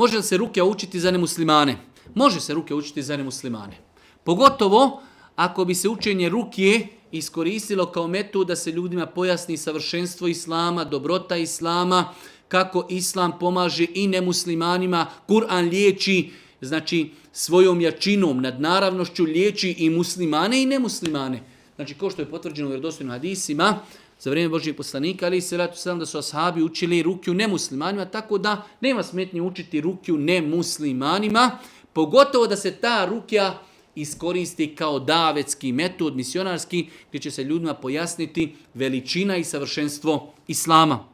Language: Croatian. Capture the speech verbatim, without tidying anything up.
Može li se rukja učiti za nemuslimane? Može se rukja učiti za nemuslimane. Pogotovo ako bi se učenje rukje iskoristilo kao metod da se ljudima pojasni savršenstvo islama, dobrota islama, kako islam pomaže i nemuslimanima, Kur'an liječi, znači svojom jačinom, nadnaravnošću liječi i muslimane i nemuslimane. Znači, kao što je potvrđeno u vjerodostojnim hadisima, za vrijeme Božijeg poslanika, ali se ratu sam da su ashabi učili rukju nemuslimanima, tako da nema smetnje učiti rukju nemuslimanima, pogotovo da se ta rukja iskoristi kao davetski metod, misionarski, gdje će se ljudima pojasniti veličina i savršenstvo islama.